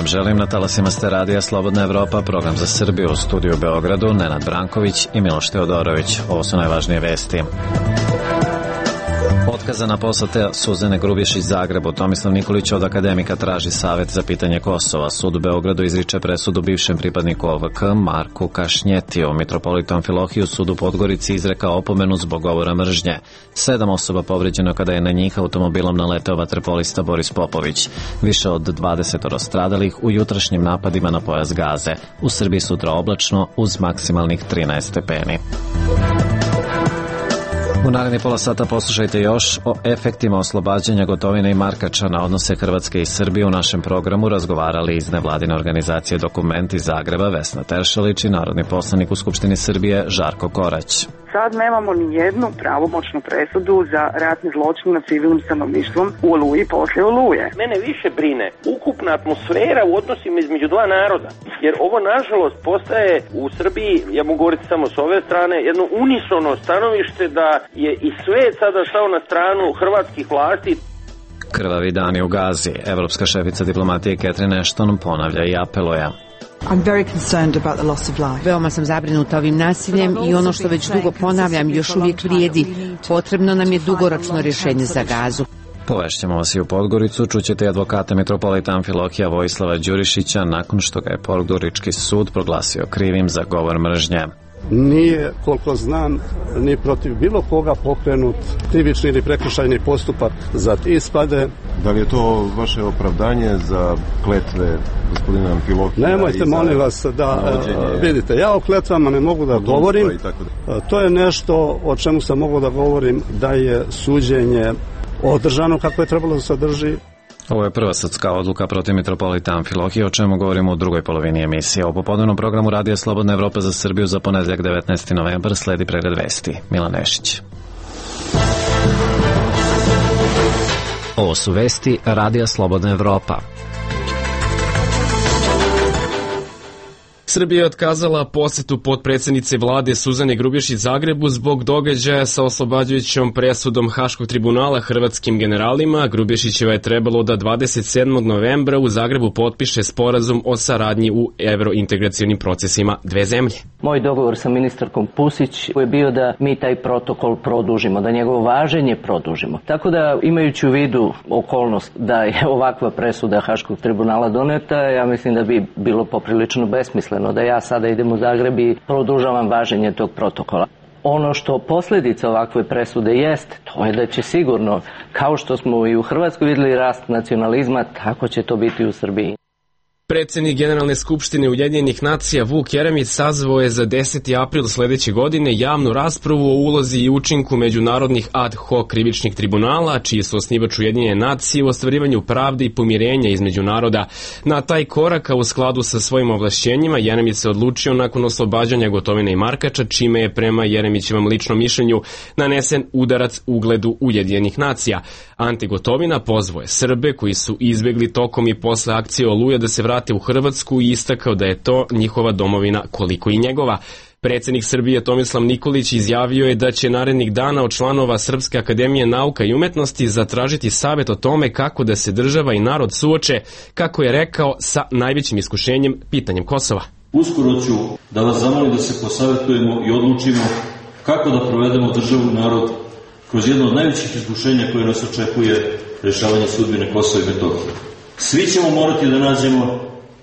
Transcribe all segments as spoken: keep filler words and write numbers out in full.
želim, na talasima ste radija Slobodna Evropa, program za Srbiju, u studiju u Beogradu, Nenad Branković i Miloš Teodorović. Ovo su najvažnije vesti. Otkazana poseta Suzane Grubješić Zagrebu. Tomislav Nikolić od akademika traži savet za pitanje Kosova. Sud u Beogradu izriče presudu bivšem pripadniku O V K Marku Kašnjetiju. Mitropolitu Amfilohiju sud u Podgorici izrekao opomenu zbog govora mržnje. Sedam osoba povređeno kada je na njih automobilom naleteo vaterpolista Boris Popović. Više od dvadeset stradalih u jutrašnjim napadima na pojas Gaze. U Srbiji sutra oblačno uz maksimalnih trinaest stepeni. U naredni pola sata poslušajte još o efektima oslobađanja Gotovine i Markača na odnose Hrvatske i Srbije. U našem programu razgovarali iz nevladine organizacije Dokument iz Zagreba Vesna Teršelić i narodni poslanik u Skupštini Srbije Žarko Korać. Sad nemamo ni jednu pravomoćnu presudu za ratni zločin nad civilnim stanovništvom u Oluji poslije Oluje. Mene više brine ukupna atmosfera u odnosima između dva naroda, jer ovo nažalost postaje u Srbiji, ja mogu govoriti samo s ove strane, jedno unisono stanovište da je i svet sada stao na stranu hrvatskih vlasti. Krvavi dani u Gazi. Evropska šefica diplomatije Catherine Ashton ponavlja i apeluje. I'm very concerned about the loss of life. Veoma sam zabrinuta ovim nasiljem i ono što već dugo ponavljam još uvijek vrijedi. Potrebno nam je dugoročno rješenje za Gazu. Povešćemo vas i u Podgoricu, čućete advokata mitropolita Amfilohija Vojislava Đurišića nakon što ga je Podgorički sud proglasio krivim za govor mržnje. Nije, koliko znam, ni protiv bilo koga pokrenut krivični ili prekršajni postupak za ispade. Da li je to vaše opravdanje za kletve gospodina Amfilohija? Nemojte, molim vas, da navođenje... vidite, ja o kletvama ne mogu da govorim. To je nešto o čemu sam mogu da govorim, da je suđenje održano kako je trebalo da se održi. Ovo je prva sudska odluka protiv mitropolita Amfilohija, o čemu govorimo u drugoj polovini emisije. U popodnevnom programu Radija Slobodna Evropa za Srbiju za ponedjeljak devetnaesti novembar sledi pregled vesti. Milan Nešić. Ovo su vesti Radija Slobodna Evropa. Srbija je otkazala posetu potpredsjednice vlade Suzane Grubješić Zagrebu zbog događaja sa oslobađajućom presudom Haškog tribunala hrvatskim generalima. Grubješićeva je trebalo da dvadeset sedmog novembra u Zagrebu potpiše sporazum o saradnji u evrointegracionim procesima dve zemlje. Moj dogovor sa ministarkom Pusić je bio da mi taj protokol produžimo, da njegovo važenje produžimo. Tako da, imajući u vidu okolnost da je ovakva presuda Haškog tribunala doneta, ja mislim da bi bilo poprilično besmisleno da ja sada idem u Zagreb i produžavam važenje tog protokola. Ono što posljedica ovakve presude jest, to je da će sigurno, kao što smo i u Hrvatskoj vidjeli rast nacionalizma, tako će to biti u Srbiji. Predsjednik Generalne skupštine Ujedinjenih nacija Vuk Jeremić sazvao je za deseti april sljedeće godine javnu raspravu o ulozi i učinku međunarodnih ad hoc krivičnih tribunala, čiji su osnivač Ujedinjene nacije u ostvarivanju pravde i pomirenja između naroda. Na taj korak, a u skladu sa svojim ovlašćenjima, Jeremić se odlučio nakon oslobađanja Gotovine i Markača, čime je prema Jeremićevom ličnom mišljenju nanesen udarac ugledu Ujedinjenih nacija. Ante Gotovina pozvao je Srbe koji su izbjegli tokom i posle akcije Oluja da se vrate u Hrvatsku i istakao da je to njihova domovina koliko i njegova. Predsjednik Srbije Tomislav Nikolić izjavio je da će narednih dana od članova Srpske akademije nauka i umetnosti zatražiti savjet o tome kako da se država i narod suoče, kako je rekao, sa najvećim iskušenjem, pitanjem Kosova. Uskoro ću da vas zamolim da se posavjetujemo i odlučimo kako da provedemo državu i narod kroz jedno od najvećih iskušenja koje nas očekuje, rješavanje sudbine Kosova i Metohije. Svi ćemo morati da nađemo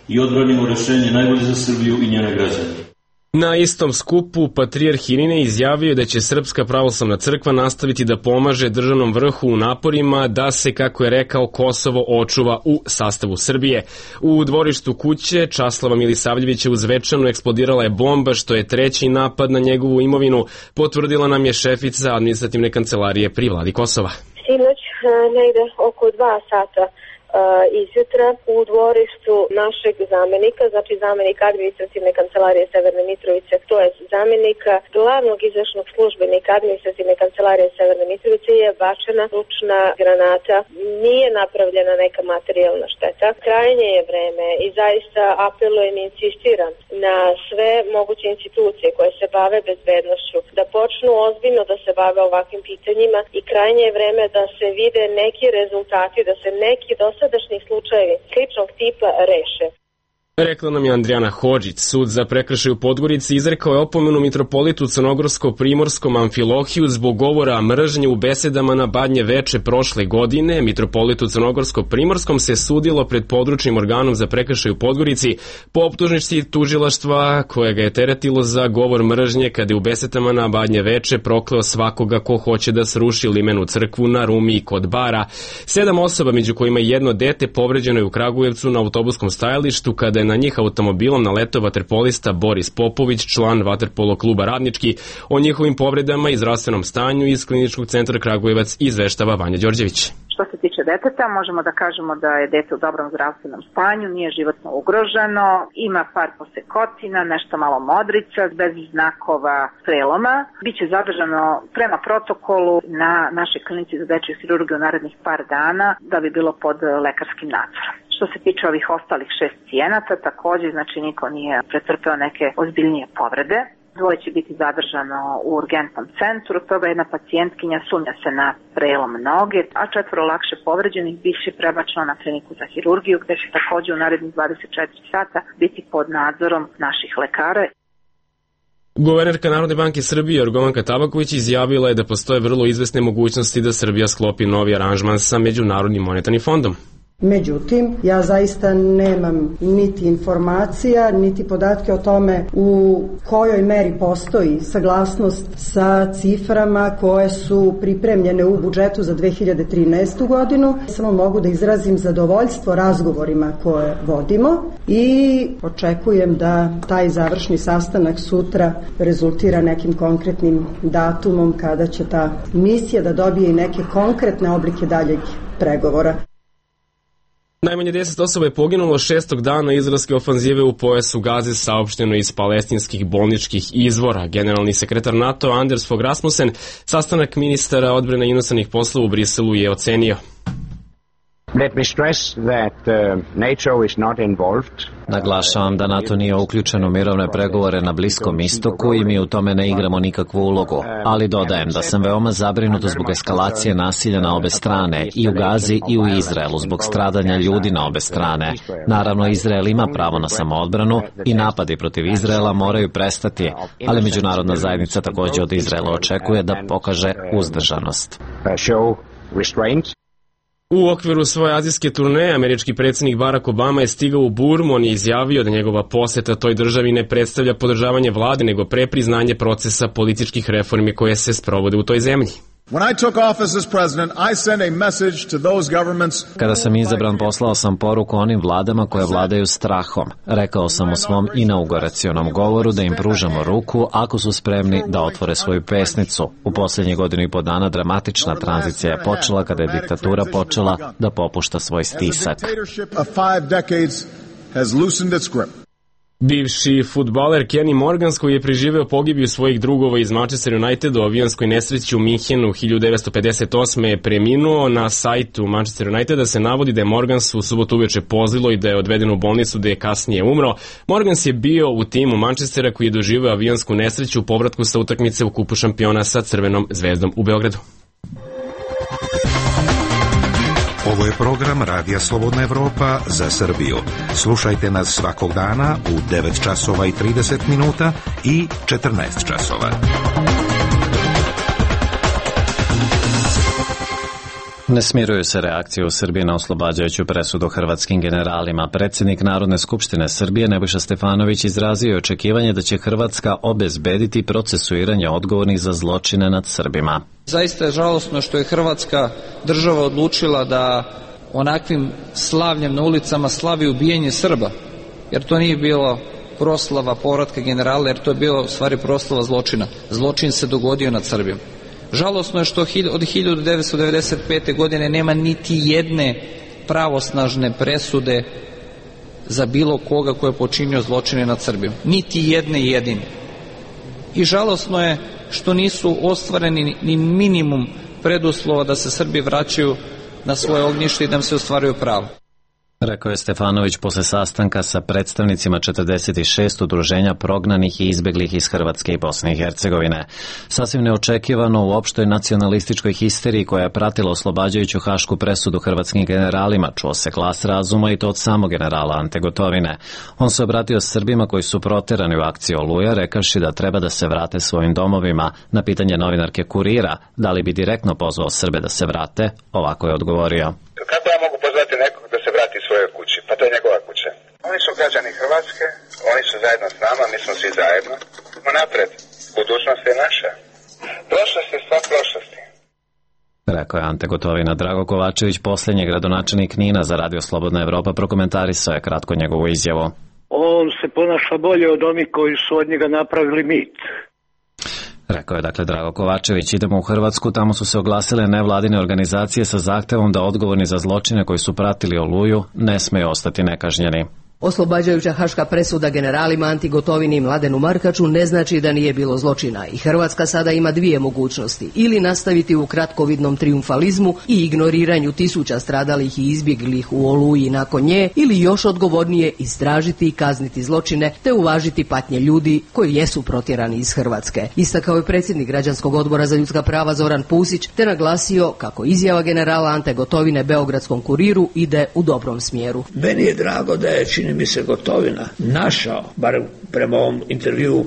i odbranimo rješenje najbolje za Srbiju i njene građane. Na istom skupu patrijarh Irinej izjavio je da će Srpska pravoslavna crkva nastaviti da pomaže državnom vrhu u naporima da se, kako je rekao, Kosovo očuva u sastavu Srbije. U dvorištu kuće Časlava Milisavljevića u Zvečanu eksplodirala je bomba, što je treći napad na njegovu imovinu, potvrdila nam je šefica administrativne kancelarije pri vladi Kosova. Sinoć negde oko dva sata izjutra u dvorištu našeg zamenika, znači zamenika administrativne kancelarije Severne Mitrovice, to je zamenika glavnog izvršnog službenika administrativne kancelarije Severne Mitrovice, je bačena ručna granata. Nije napravljena neka materijalna šteta. Krajnje je vreme i zaista apelujem i insistiram na sve moguće institucije koje se bave bezbednošću da počnu ozbiljno da se bave ovakvim pitanjima i krajnje je vreme da se vide neki rezultati, da se neki dosad dosadašnji slučajevi sličnog tipa reše. Rekla nam je Andrijana Hodžić. Sud za prekršaj u Podgorici izrekao je opomenu mitropolitu crnogorsko-primorskom Amfilohiju zbog govora mržnje u besedama na Badnje veče prošle godine. Mitropolitu crnogorsko-primorskom se sudilo pred područnim organom za prekršaj u Podgorici po optužnici tužilaštva koje ga je teretilo za govor mržnje kada je u besedama na Badnje veče prokleo svakoga ko hoće da sruši limenu crkvu na Rumi i kod bara. Sedam osoba, među kojima je jedno dete, povređeno je u Kragujevcu na autobuskom stajalištu kada je na njih automobilom naletao vaterpolista Boris Popović, član vaterpolo kluba Radnički. O njihovim povredama i zdravstvenom stanju iz Kliničkog centra Kragujevac izveštava Vanja Đorđević. Što se tiče deteta, možemo da kažemo da je dete u dobrom zdravstvenom stanju, nije životno ugroženo, ima par posekotina, nešto malo modrica, bez znakova preloma. Biće zadržano prema protokolu na našoj klinici za dečju hirurgiju narednih par dana da bi bilo pod lekarskim nadzorom. Što se tiče ovih ostalih šest pacijenata, također, znači niko nije pretrpeo neke ozbiljnije povrede. Dvoje će biti zadržano u urgentnom centru, toga jedna pacijentkinja sumnja se na prelom noge, a četvoro lakše povređenih biće prebačeno na kliniku za hirurgiju, gde će također u narednih dvadeset četiri sata biti pod nadzorom naših lekara. Guvernerka Narodne banke Srbije Jorgovanka Tabaković izjavila je da postoje vrlo izvesne mogućnosti da Srbija sklopi novi aranžman sa Međunarodnim monetarnim fondom. Međutim, ja zaista nemam niti informacija, niti podatke o tome u kojoj meri postoji saglasnost sa ciframa koje su pripremljene u budžetu za dve hiljade trinaestu godinu. Samo mogu da izrazim zadovoljstvo razgovorima koje vodimo i očekujem da taj završni sastanak sutra rezultira nekim konkretnim datumom kada će ta misija da dobije i neke konkretne oblike daljeg pregovora. Najmanje deset osoba je poginulo šestog dana izraelske ofanzive u pojasu Gaze, saopšteno iz palestinskih bolničkih izvora. Generalni sekretar NATO Anders Fogh Rasmussen sastanak ministara odbrane i inostranih poslova u Briselu je ocenio. Let me stress that uh, NATO is not involved. Naglašavam da NATO nije uključen u mirovne pregovore na Bliskom istoku i mi u tome ne igramo nikakvu ulogu. Ali dodajem da sam veoma zabrinut zbog eskalacije nasilja na obe strane, i u Gazi i u Izraelu, zbog stradanja ljudi na obe strane. Naravno, Izrael ima pravo na samoodbranu i napadi protiv Izraela moraju prestati, ali međunarodna zajednica također od Izraela očekuje da pokaže uzdržanost. U okviru svoje azijske turneje, američki predsjednik Barack Obama je stigao u Burmu. On je izjavio da njegova poseta toj državi ne predstavlja podržavanje vlade, nego pre priznanje procesa političkih reformi koje se sprovode u toj zemlji. Kada sam izabran, poslao sam poruku onim vladama koje vladaju strahom. Rekao sam u svom inauguracionom govoru da im pružamo ruku ako su spremni da otvore svoju pesnicu. U posljednjih godinu i po dana dramatična tranzicija je počela kada je diktatura počela da popušta svoj stisak. Bivši fudbaler Kenny Morgans, koji je preživeo pogibiju svojih drugova iz Manchester Uniteda u avionskoj nesreći u Minhenu hiljadu devetsto pedeset osme je preminuo. Na sajtu Manchester Uniteda se navodi da je Morgans u subotu uveče pozlilo i da je odveden u bolnicu, da je kasnije umro. Morgans je bio u timu Manchestera koji je doživeo avionsku nesreću u povratku sa utakmice u kupu šampiona sa Crvenom zvezdom u Beogradu. Ovo je program Radija Slobodna Evropa za Srbiju. Slušajte nas svakog dana u devet časova i trideset minuta i četrnaest časova. Ne smiruju se reakcije u Srbiji na oslobađajuću presudu hrvatskim generalima. Predsjednik Narodne skupštine Srbije Nebojša Stefanović izrazio je očekivanje da će Hrvatska obezbediti procesuiranje odgovornih za zločine nad Srbima. Zaista je žalosno što je Hrvatska država odlučila da onakvim slavljem na ulicama slavi ubijanje Srba, jer to nije bilo proslava povratka generala, jer to je bilo u stvari proslava zločina. Zločin se dogodio nad Srbijom. Žalosno je što od hiljadu devetsto devedeset pete. godine nema niti jedne pravosnažne presude za bilo koga ko je počinio zločine nad Srbijom. Niti jedne jedine. I žalosno je što nisu ostvareni ni minimum preduslova da se Srbi vraćaju na svoje ognjište i da im se ostvaruju pravo. Rekao je Stefanović posle sastanka sa predstavnicima četrdeset šest udruženja prognanih i izbeglih iz Hrvatske i Bosne i Hercegovine. Sasvim neočekivano u opštoj nacionalističkoj histeriji koja je pratila oslobađajuću hašku presudu hrvatskim generalima čuo se glas razuma i to od samog generala Ante Gotovine. On se obratio Srbima koji su proterani u akciji Oluja rekavši da treba da se vrate svojim domovima. Na pitanje novinarke Kurira da li bi direktno pozvao Srbe da se vrate, ovako je odgovorio. Kako ja mogu pozvati nekog da se vrati svojoj kući? Pa to je njegova kuća. Oni su građani Hrvatske, oni su zajedno s nama, mi smo svi zajedno. Idemo napred. Budućnost je naša. Prošlost je stvar prošlosti. Rekao je Ante Gotovina. Drago Kovačević, posljednji gradonačelnik Knina za Radio Slobodna Evropa, prokomentarisao je kratko njegovu izjavu. On se ponaša bolje od onih koji su od njega napravili mit. Rekao je dakle Drago Kovačević. Idemo u Hrvatsku, tamo su se oglasile nevladine organizacije sa zahtevom da odgovorni za zločine koji su pratili Oluju ne smeju ostati nekažnjeni. Oslobađajuća haška presuda generalima Anti Gotovini i Mladenu Markaču ne znači da nije bilo zločina i Hrvatska sada ima dvije mogućnosti. Ili nastaviti u kratkovidnom trijumfalizmu i ignoriranju tisuća stradalih i izbjeglih u Oluji nakon nje, ili još odgovornije istražiti i kazniti zločine te uvažiti patnje ljudi koji jesu protjerani iz Hrvatske. Istakao je predsjednik Građanskog odbora za ljudska prava Zoran Pusić te naglasio kako izjava generala Ante Gotovine Beogradskom kuriru ide u dobrom smjeru. Meni je drago da je, čini mi se, Gotovina našao, bar prema ovom intervju u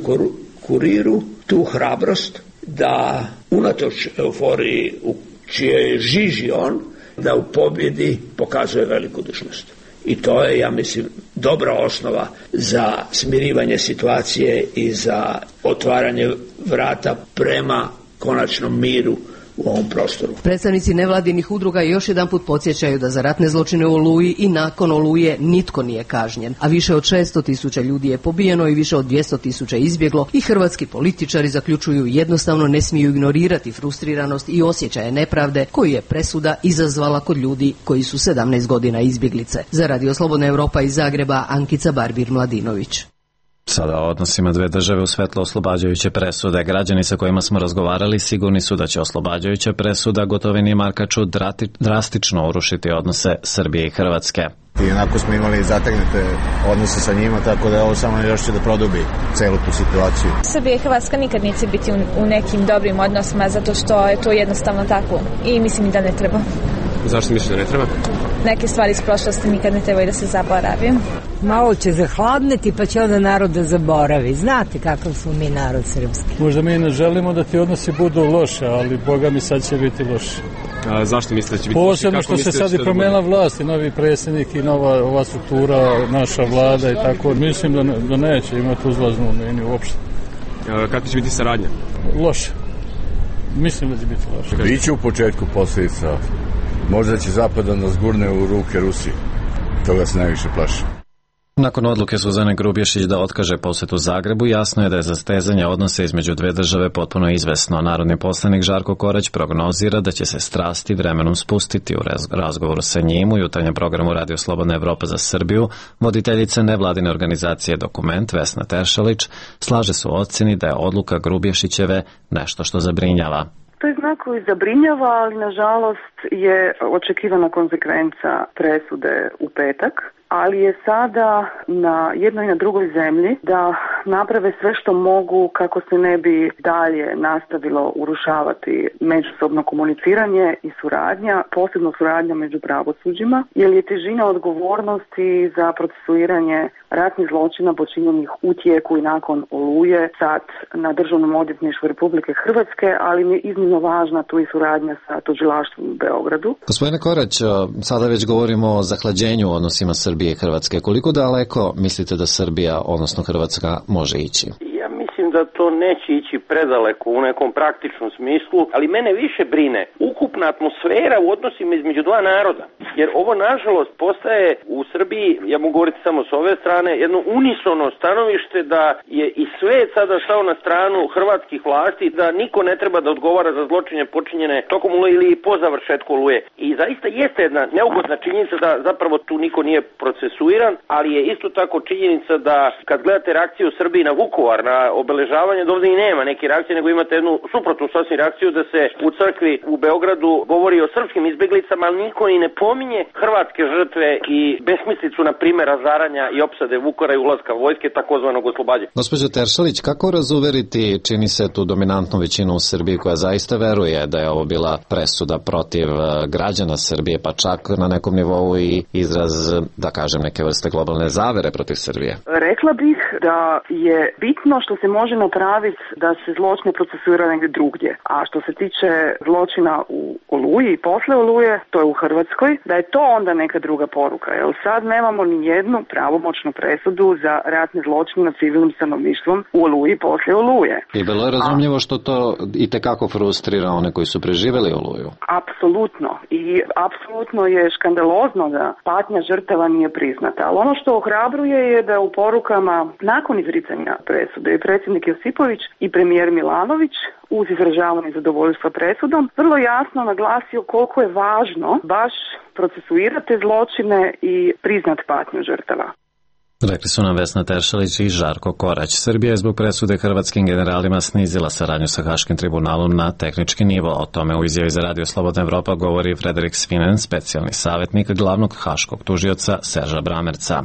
Kuriru, tu hrabrost da unatoč euforiji u čijoj je žiži on, da u pobjedi pokazuje velikodušnost. I to je, ja mislim, dobra osnova za smirivanje situacije i za otvaranje vrata prema konačnom miru u ovom prostoru. Predstavnici nevladinih udruga još jedanput podsjećaju da za ratne zločine u Oluji i nakon Oluje nitko nije kažnjen, a više od šesto tisuća ljudi je pobijeno i više od dvjesto tisuća izbjeglo i hrvatski političari zaključuju jednostavno ne smiju ignorirati frustriranost i osjećaje nepravde koju je presuda izazvala kod ljudi koji su sedamnaest godina izbjeglice. Za Radio Slobodna Evropa iz Zagreba, Ankica Barbir-Mladinović. Sada o odnosima dve države u svetlo oslobađajuće presude. Građani sa kojima smo razgovarali sigurni su da će oslobađajuća presuda Gotovini i Markaču drastično urušiti odnose Srbije i Hrvatske. I onako smo imali zategnute odnose sa njima, tako da ovo samo još će da produbi celu tu situaciju. Srbija i Hrvatska nikad neće biti u nekim dobrim odnosima zato što je to jednostavno tako i mislim da ne treba. Zašto misliš da ne treba? Neke stvari iz prošlosti nikad ne trebaju da se zaboravi. Malo će zahladneti pa će onda narod da zaboravi. Znate kakav smo mi narod srpski. Možda mi ne želimo da ti odnosi budu loše, ali Boga mi sad će biti loše. A zašto mislite da će biti loše? Posebno što se sad i promenila vlast i novi predsjednik i nova ova struktura, naša vlada i tako. Mislim da, ne, da neće imati uzlaznu liniju uopšte. A, kako će biti saradnja? Loše. Mislim da će biti loše. Biće u početku posljedica. Možda će Zapad da nas gurne u ruke Rusiji. Toga se najviše plaši. Nakon odluke Suzane Grubješić da otkaže posjetu Zagrebu, jasno je da je zastezanje odnose između dve države potpuno izvesno. Narodni poslanik Žarko Korać prognozira da će se strasti vremenom spustiti. U razgovoru sa njim u jutarnjem programu Radio Slobodna Evropa za Srbiju, voditeljica nevladine organizacije Dokument Vesna Teršalić slaže se u ocjeni da je odluka Grubješićeve nešto što zabrinjava. To je znak koji zabrinjava, ali nažalost je očekivana konsekvenca presude u petak, ali je sada na jednoj i na drugoj zemlji da naprave sve što mogu kako se ne bi dalje nastavilo urušavati međusobno komuniciranje i suradnja, posebno suradnja među pravosuđima, jer je težina odgovornosti za procesuiranje ratnih zločina počinjenih u tijeku i nakon Oluje sad na Državnom odvjetništvu Republike Hrvatske, ali mi je iznimno važna tu i suradnja sa tužilaštvom u Beogradu. Gospodine Korać, sada već govorimo o zahlađenju u odnosima Srbije i Hrvatske. Koliko daleko mislite da Srbija, odnosno Hrvatska, može ići? Ja mislim da to neće ići predaleko u nekom praktičnom smislu, ali mene više brine ukupna atmosfera u odnosima između dva naroda. Jer ovo, nažalost, postaje u Srbiji, ja mogu govoriti samo s ove strane, jedno unisono stanovište da je i svet sada stao na stranu hrvatskih vlasti, da niko ne treba da odgovara za zločine počinjene tokom Oluje ili po završetku Oluje. I zaista jeste jedna neugodna činjenica da zapravo tu niko nije procesuiran, ali je isto tako činjenica da kad gledate reakciju Srbije na Vukovar, na obeležavanje obeležavanja, da ovdje i nema neke reakcije, nego imate jednu suprotnu sasvim reakciju da se u crkvi u Beogradu govori o srpskim izbeglicama, ali niko i ne pominje hrvatske žrtve i besmislicu, na primjer, razaranja i opsade Vukovara i ulaska vojske, takozvanog oslobađanja. Gospođo Teršalić, kako razuveriti, čini se, tu dominantnu većinu u Srbiji koja zaista veruje da je ovo bila presuda protiv građana Srbije, pa čak na nekom nivou i izraz, da kažem, neke vrste globalne zavere protiv Srbije? Rekla bih da je bitno što se može napraviti da se zločine procesuira negdje drugdje. A što se tiče zločina u Oluji i posle Oluje, to je u Hrvatskoj, da je to onda neka druga poruka. Jer sad nemamo ni jednu pravomoćnu presudu za ratne zločine nad civilnim stanovništvom u Oluji i posle Oluje. I bilo je razumljivo što to i tekako frustrira one koji su preživjeli Oluju. Apsolutno. I apsolutno je škandalozno da patnja žrtava nije priznata. Ali ono što ohrabruje je da u porukama nakon izricanja presude je predsjednik Josipović i premijer Milanović uz izražavanje zadovoljstva presudom vrlo jasno naglasio koliko je važno baš procesuirati zločine i priznat patnju žrtava. Rekli su nam Vesna Teršalić i Žarko Korać. Srbija je zbog presude hrvatskim generalima snizila saradnju sa Haškim tribunalom na tehnički nivo. O tome u izjavi za Radio Slobodna Evropa govori Frederik Svinen, specijalni savjetnik glavnog haškog tužioca Serža Bramerca.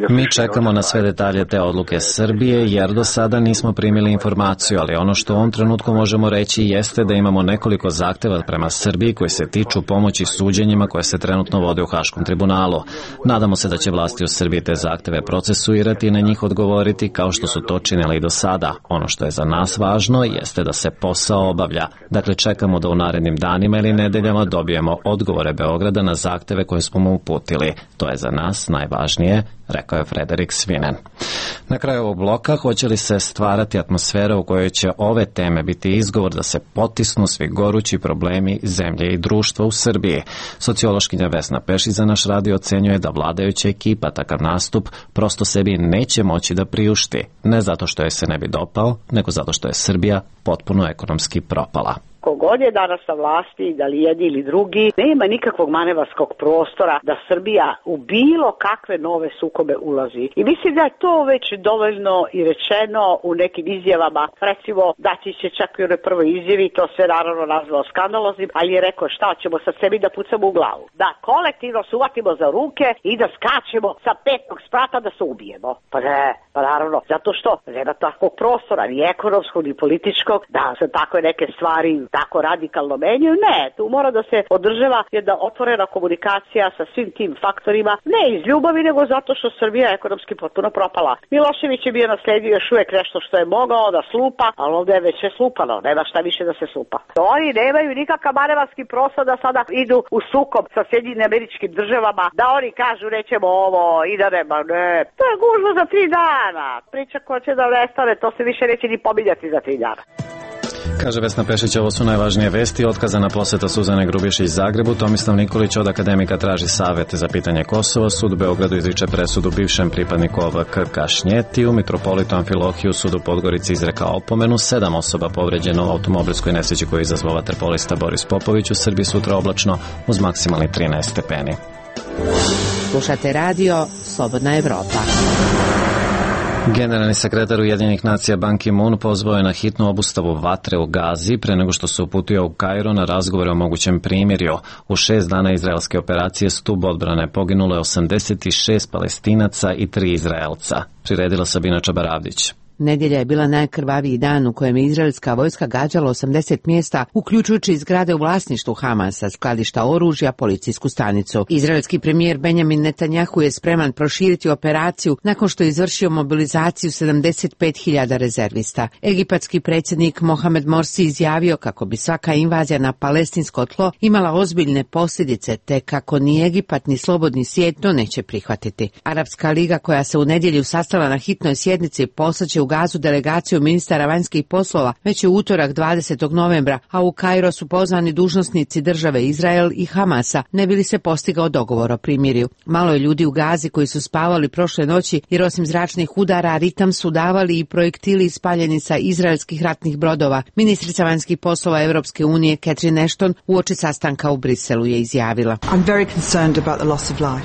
Mi čekamo na sve detalje te odluke Srbije, jer do sada nismo primili informaciju, ali ono što u ovom trenutku možemo reći jeste da imamo nekoliko zahteva prema Srbiji koji se tiču pomoći suđenjima koje se trenutno vode u Haškom tribunalu. Nadamo se da će vlasti u Srbiji te zahteve procesuirati i na njih odgovoriti kao što su to činili i do sada. Ono što je za nas važno jeste da se posao obavlja. Dakle, čekamo da u narednim danima ili nedeljama dobijemo odgovore Beograda na zahteve koje smo mu uputili. To je za nas najvažnije, rekao je Frederik Svinen. Na kraju ovog bloka, hoće li se stvarati atmosfera u kojoj će ove teme biti izgovor da se potisnu svi gorući problemi zemlje i društva u Srbiji? Sociološkinja Vesna Pešić za naš radio ocenjuje da vladajuća ekipa takav nastup prosto sebi neće moći da priušti. Ne zato što je se ne bi dopao, nego zato što je Srbija potpuno ekonomski propala. Kogod je danas na vlasti, da li jedni ili drugi, nema nikakvog manevarskog prostora da Srbija u bilo kakve nove sukobe ulazi. I mislim da je to već dovoljno i rečeno u nekim izjavama. Recimo, Dačić će čak i u onoj prvoj izjavi, to se naravno nazvao skandaloznim, ali je rekao šta ćemo sad sebi da pucamo u glavu. Da kolektivno se uvatimo za ruke i da skačemo sa petog sprata da se ubijemo. Pa ne, pa naravno, zato što nema takvog prostora, ni ekonomskog, ni političkog, da se takve neke stvari tako radikalno menjaju. Ne, tu mora da se održava jedna otvorena komunikacija sa svim tim faktorima, ne iz ljubavi, nego zato što Srbija je ekonomski potpuno propala. Milošević je bio nasledio još uvijek nešto što je mogao da slupa, ali ovdje je već je slupano, nema šta više da se slupa. Oni nemaju nikakav manevarski prostor da sada idu u sukob sa Sjedinjenim Američkim Državama, da oni kažu nećemo ovo i da nema, ne. To je gužva za tri dana. Priča koja će da nestane, to se više neće ni pominjati za tri dana. Kaže Vesna Pešić, ovo su najvažnije vesti. Otkazana poseta Suzane Grubješić Zagrebu. Tomislav Nikolić od akademika traži savjet za pitanje Kosova. Sud u Beogradu izriče presudu bivšem pripadniku O V K Kašnjetiju. Mitropolitu Amfilohiju sud u Podgorici izrekao opomenu. Sedam osoba povređeno u automobilskoj nesreći koju je izazvao vaterpolista Boris Popović. U Srbiji sutra oblačno uz maksimalni trinaest stepeni. Slušate radio Slobodna Evropa. Generalni sekretar Ujedinjenih nacija Ban Ki-moon pozvao je na hitnu obustavu vatre u Gazi pre nego što se uputio u Kairo na razgovore o mogućem primirju. U šest dana izraelske operacije stub odbrane poginulo je osamdeset šest Palestinaca i tri Izraelca. Priredila Sabina Čabaravdić. Nedjelja je bila najkrvaviji dan u kojem je izraelska vojska gađala osamdeset mjesta, uključujući zgrade u vlasništvu Hamasa, skladišta oružja, policijsku stanicu. Izraelski premijer Benjamin Netanjahu je spreman proširiti operaciju nakon što je izvršio mobilizaciju sedamdeset pet hiljada rezervista. Egipatski predsjednik Mohamed Morsi izjavio kako bi svaka invazija na palestinsko tlo imala ozbiljne posljedice, te kako ni Egipat ni slobodni svijet to neće prihvatiti. Arapska liga, koja se u nedjelju sastala na hitnoj sjednici, poslaće u Gazu delegaciju ministara vanjskih poslova već je utorak dvadesetog novembra, a u Kairo su pozvani dužnosnici države Izrael i Hamasa, ne bi li se postigao dogovor o primirju. Malo je ljudi u Gazi koji su spavali prošle noći, jer osim zračnih udara ritam su davali i projektili ispaljeni sa izraelskih ratnih brodova. Ministrica vanjskih poslova Evropske unije Catherine Ashton uoči sastanka u Briselu je izjavila: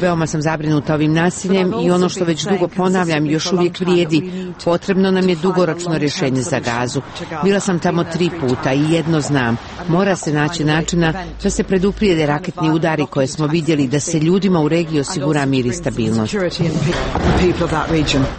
Veoma sam zabrinuta ovim nasiljem i ono što već dugo ponavljam još uvijek vrijedi. Potrebno nam je dugoročno rješenje za Gazu. Bila sam tamo tri puta i jedno znam. Mora se naći načina da se preduprijede raketni udari koje smo vidjeli, da se ljudima u regiji osigura mir i stabilnost.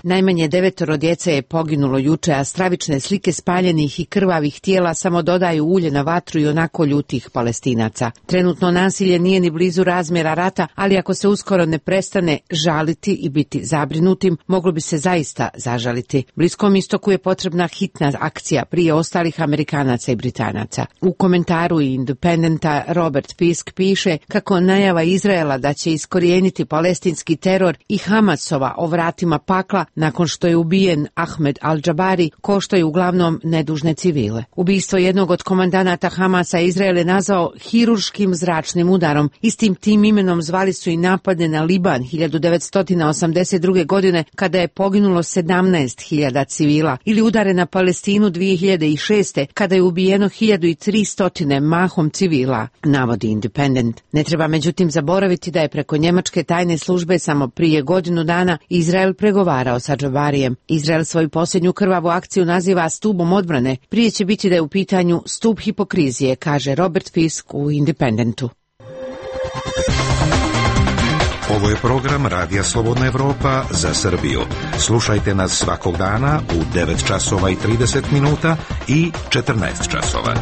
Najmanje devetoro djece je poginulo juče, a stravične slike spaljenih i krvavih tijela samo dodaju ulje na vatru i onako ljutih Palestinaca. Trenutno nasilje nije ni blizu razmjera rata, ali ako se uskoro ne prestane žaliti i biti zabrinutim, moglo bi se zaista zažaliti. Bliskom istoku je potrebna hitna akcija prije ostalih Amerikanaca i Britanaca. U komentaru Independenta Robert Fisk piše kako najava Izraela da će iskorijeniti palestinski teror i Hamasova o vratima pakla nakon što je ubijen Ahmed al-Džabari koštaju uglavnom nedužne civile. Ubistvo jednog od komandanata Hamasa Izrael je nazvao hirurškim zračnim udarom. Istim tim imenom zvali su i napade na Liban hiljadu devetsto osamdeset druge. godine kada je poginulo sedamnaest hiljada civila, ili udare na Palestinu dvije hiljade šeste. kada je ubijeno hiljadu tristo mahom civila, navodi Independent. Ne treba međutim zaboraviti da je preko njemačke tajne službe samo prije godinu dana Izrael pregovarao sa Džabarijem. Izrael svoju posljednju krvavu akciju naziva stubom odbrane. Prije će biti da je u pitanju stup hipokrizije, kaže Robert Fisk u Independentu. Ovo je program Radija Slobodna Evropa za Srbiju. Slušajte nas svakog dana u devet časova i trideset minuta i četrnaest časova.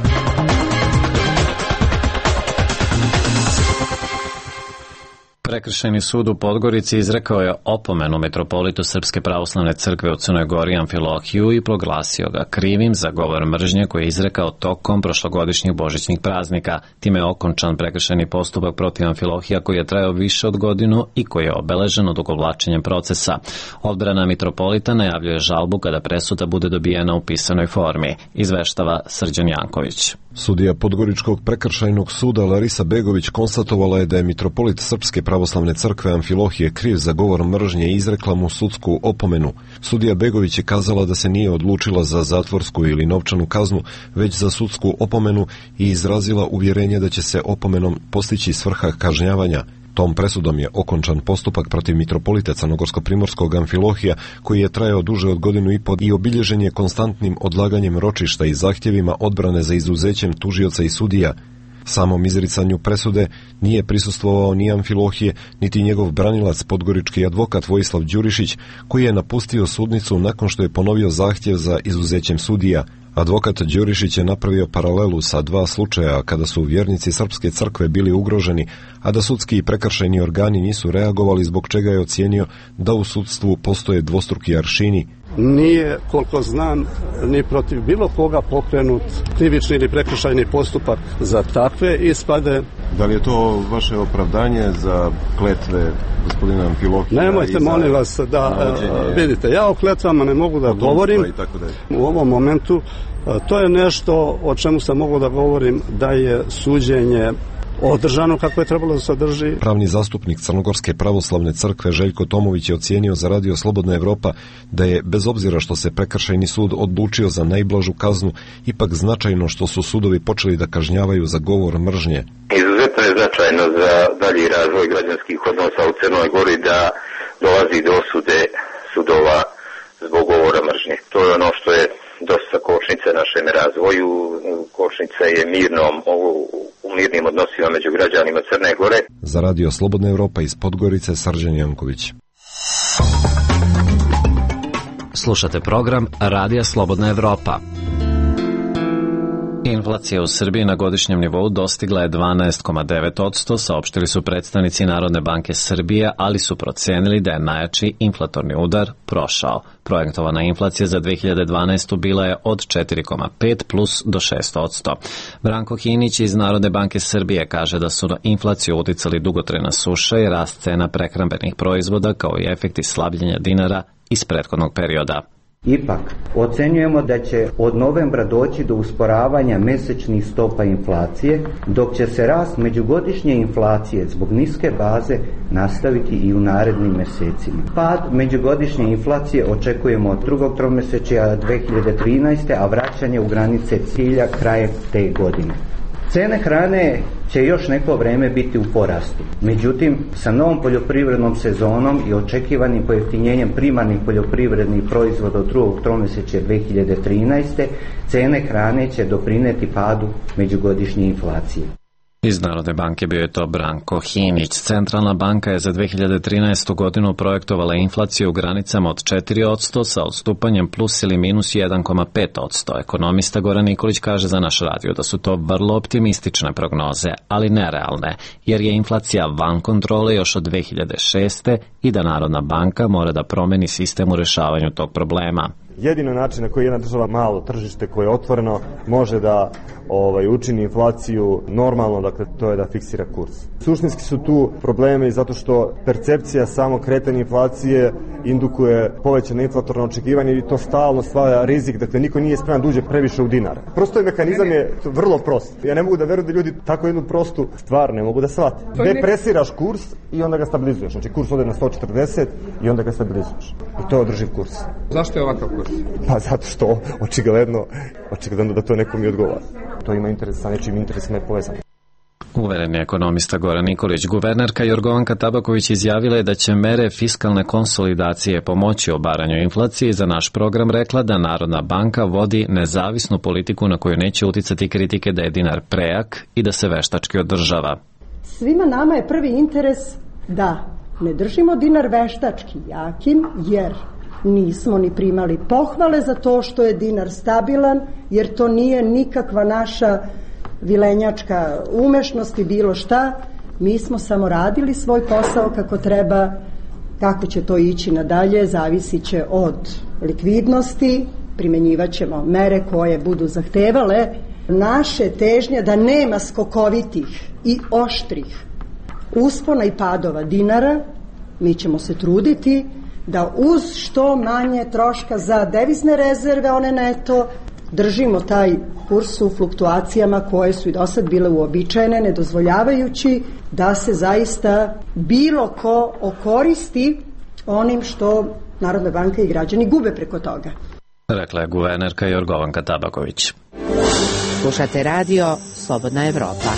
Prekršajni sud u Podgorici izrekao je opomenu metropolitu Srpske pravoslavne crkve u Crnoj Gori Amfilohiju i proglasio ga krivim za govor mržnje koji je izrekao tokom prošlogodišnjih božićnih praznika. Time je okončan prekršajni postupak protiv Amfilohija koji je trajao više od godinu i koji je obeležen odugovlačenjem procesa. Odbrana mitropolita najavljuje žalbu kada presuda bude dobijena u pisanoj formi, izveštava Srđan Janković. Sudija Podgoričkog prekršajnog suda Larisa Begović konstatovala je da je mitropolit Srpske pravoslavne crkve Amfilohije kriv za govor mržnje i izrekla mu sudsku opomenu. Sudija Begović je kazala da se nije odlučila za zatvorsku ili novčanu kaznu, već za sudsku opomenu i izrazila uvjerenje da će se opomenom postići svrha kažnjavanja. Tom presudom je okončan postupak protiv mitropolita Crnogorsko-primorskog Amfilohija, koji je trajao duže od godinu i po i obilježen je konstantnim odlaganjem ročišta i zahtjevima odbrane za izuzećem tužioca i sudija. Samom izricanju presude nije prisustvovao ni Amfilohije, niti njegov branilac podgorički advokat Vojislav Đurišić, koji je napustio sudnicu nakon što je ponovio zahtjev za izuzećem sudija. Advokat Đurišić je napravio paralelu sa dva slučaja kada su vjernici Srpske crkve bili ugroženi, a da sudski i prekršajni organi nisu reagovali, zbog čega je ocijenio da u sudstvu postoje dvostruki aršini. Nije, koliko znam, ni protiv bilo koga pokrenut krivični ili prekršajni postupak za takve ispade. Da li je to vaše opravdanje za kletve gospodina Amfilohija? Nemojte, molim vas, da navođenje... vidite, ja o kletvama ne mogu da govorim u ovom momentu. To je nešto o čemu sam mogu da govorim, da je suđenje održano kako je trebalo da se održi. Pravni zastupnik Crnogorske pravoslavne crkve Željko Tomović je ocijenio za Radio Slobodna Evropa da je, bez obzira što se prekršajni sud odlučio za najblažu kaznu, ipak značajno što su sudovi počeli da kažnjavaju za govor mržnje. Izuzetno je značajno za dalji razvoj građanskih odnosa u Crnoj Gori da dolazi do osude sudova zbog govora mržnje. To je ono što je dosta kočnice našem razvoju. Kočnica je mirnom, u mirnim odnosima među građanima Crne Gore. Za Radio Slobodna Evropa iz Podgorice, Srđan Janković. Slušate program Radija Slobodna Evropa. Inflacija u Srbiji na godišnjem nivou dostigla je dvanaest zarez devet posto, saopštili su predstavnici Narodne banke Srbije, ali su procenili da je najjači inflatorni udar prošao. Projektovana inflacija za dve hiljade dvanaestu bila je od četiri zarez pet plus do šest posto. Branko Hinić iz Narodne banke Srbije kaže da su na inflaciju uticali dugotrajna suša i rast cena prehrambenih proizvoda kao i efekti slabljenja dinara iz prethodnog perioda. Ipak, ocenjujemo da će od novembra doći do usporavanja mesečnih stopa inflacije, dok će se rast međugodišnje inflacije zbog niske baze nastaviti i u narednim mesecima. Pad međugodišnje inflacije očekujemo od drugog tromesečja dve hiljade trinaeste. a vraćanje u granice cilja krajem te godine. Cene hrane će još neko vreme biti u porastu. Međutim, sa novom poljoprivrednom sezonom i očekivanim pojeftinjenjem primarnih poljoprivrednih proizvoda od drugog tromesečja dve hiljade trinaeste. cene hrane će doprineti padu međugodišnje inflacije. Iz Narodne banke bio je to Branko Hinić. Centralna banka je za dve hiljade trinaestu. godinu projektovala inflaciju u granicama od četiri posto sa odstupanjem plus ili minus jedan zarez pet posto. Ekonomista Goran Nikolić kaže za naš radio da su to vrlo optimistične prognoze, ali nerealne, jer je inflacija van kontrole još od dve hiljade šeste. i da Narodna banka mora da promeni sistem u rešavanju tog problema. Jedino način na koji jedna država, malo tržište koje je otvoreno, može da ovaj, učini inflaciju normalno, dakle to je da fiksira kurs. Suštinski su tu problemi zato što percepcija samo kretanja inflacije indukuje povećane inflatorno očekivanje i to stalno stvara rizik, dakle niko nije spreman da uđe previše u dinar. Prosto je mehanizam je vrlo prost. Ja ne mogu da verujem da ljudi tako jednu prostu stvar ne mogu da shvate. Depresiraš kurs i onda ga stabilizuješ. Znači kurs ode na sto četrdeset i onda ga stabilizuješ. I to je održiv kurs. Zašto je ovakav kurs? Pa zato što očigledno, očigledno da to nekom i odgovara. To ima interes sa nečim interesima je povezano. Uveren je ekonomista Goran Nikolić. Guvernerka Jorgovanka Tabaković izjavila je da će mere fiskalne konsolidacije pomoći obaranju inflacije i za naš program rekla da Narodna banka vodi nezavisnu politiku na koju neće uticati kritike da je dinar prejak i da se veštački održava. Svima nama je prvi interes da ne držimo dinar veštački jakim, jer nismo ni primali pohvale za to što je dinar stabilan, jer to nije nikakva naša vilenjačka umešnost i bilo šta. Mi smo samo radili svoj posao kako treba. Kako će to ići nadalje zavisit će od likvidnosti, primenjivat ćemo mere koje budu zahtevale naše težnje da nema skokovitih i oštrih uspona i padova dinara. Mi ćemo se truditi da uz što manje troška za devizne rezerve, one neto, držimo taj kurs u fluktuacijama koje su i do sad bile uobičajene, ne dozvoljavajući da se zaista bilo ko okoristi onim što Narodna banka i građani gube preko toga. Rekla je guvernerka Jorgovanka Tabaković. Slušate radio Slobodna Evropa.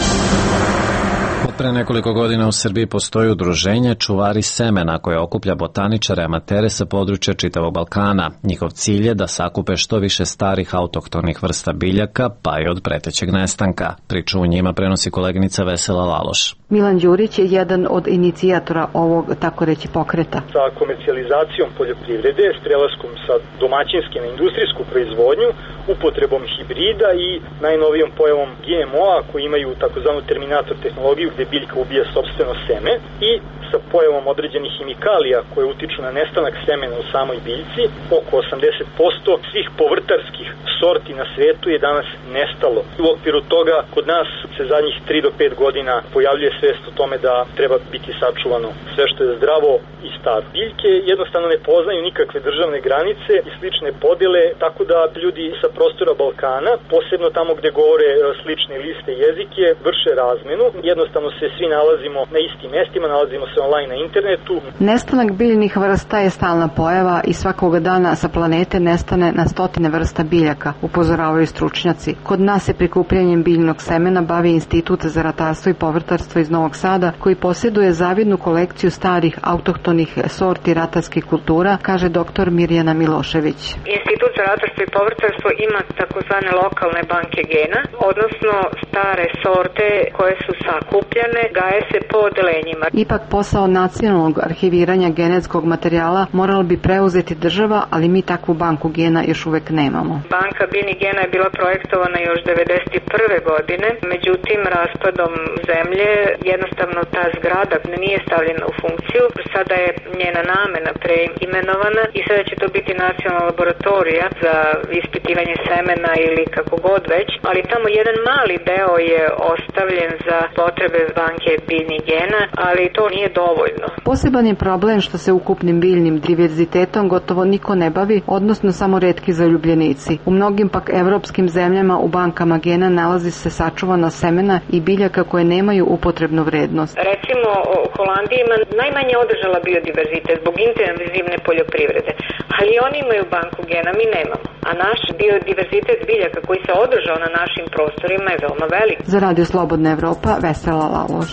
Od pre nekoliko godina u Srbiji postoji udruženje Čuvari semena koje okuplja botaničare amatere sa područja čitavog Balkana. Njihov cilj je da sakupe što više starih autohtonih vrsta biljaka, pa i od pretećeg nestanka. Priču u njima prenosi koleginica Vesela Laloš. Milan Đurić je jedan od inicijatora ovog, tako reći, pokreta. Sa komercijalizacijom poljoprivrede, s prelaskom sa domaćinske na industrijsku proizvodnju, upotrebom hibrida i najnovijom pojavom G M O-a koji imaju takozvanu terminator tehnologiju gde biljka ubija sopstveno seme i sa pojavom određenih hemikalija koje utiču na nestanak semena u samoj biljci. Oko osamdeset posto svih povrtarskih sorti na svetu je danas nestalo. U okviru toga kod nas se zadnjih tri do pet godina pojavljuje svest o tome da treba biti sačuvano sve što je zdravo i staro. Biljke jednostavno ne poznaju nikakve državne granice i slične podele, tako da ljudi sa prostora Balkana, posebno tamo gde govore slične liste jezike, vrše razmenu. Jednostavno se svi nalazimo na istim mestima, nalazimo se online na internetu. Nestanak biljnih vrsta je stalna pojava i svakoga dana sa planete nestane na stotine vrsta biljaka, upozoravaju stručnjaci. Kod nas se prikupljanjem biljnog semena bavi Institut za ratarstvo i povrtarstvo iz Novog Sada, koji posjeduje zavidnu kolekciju starih autohtonih sorti ratarskih kultura, kaže doktor Mirjana Milošević. Institut za ratarstvo i povrtarstvo ima takozvane lokalne banke gena, odnosno stare sorte koje su sakupljane, gaje se po odelenjima. Ipak posao nacionalnog arhiviranja genetskog materijala morala bi preuzeti država, ali mi takvu banku gena još uvek nemamo. Banka biljnih gena je bila projektovana još devedeset prve godine, međutim raspadom zemlje jednostavno ta zgrada nije stavljena u funkciju. Sada je njena namena preimenovana i sada će to biti nacionalna laboratorija za ispitivanje semena ili kako god već, ali tamo jedan mali deo je ostavljen za potrebe banke biljnih gena, ali to nije dovoljno. Poseban je problem što se ukupnim biljnim diverzitetom gotovo niko ne bavi, odnosno samo retki zaljubljenici. U mnogim pak evropskim zemljama u bankama gena nalazi se sačuvana semena i biljaka koje nemaju upotrebnu vrednost. Recimo, Holandija ima najmanje održala biodiverzitet zbog intenzivne poljoprivrede, ali oni imaju banku gena, mi nemamo. A naš biodiverzitet biljaka koji se održao na našim prostorima je veoma velik. Za Radio Slobodna Evropa, Vesela Laloš.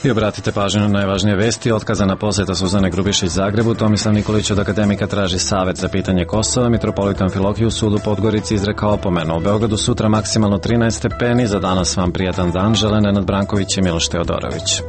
I obratite pažnju na najvažnije vesti. Otkazana posjeta Suzane Grubišić Zagrebu. Tomislav Nikolić od akademika traži savet za pitanje Kosova. Mitropolit Amfilohije u sudu Podgorici izrekao opomenu. U Beogradu sutra maksimalno trinaest stepeni. Za danas vam prijatan dan. Žele Nenad Branković i Miloš Teodorović.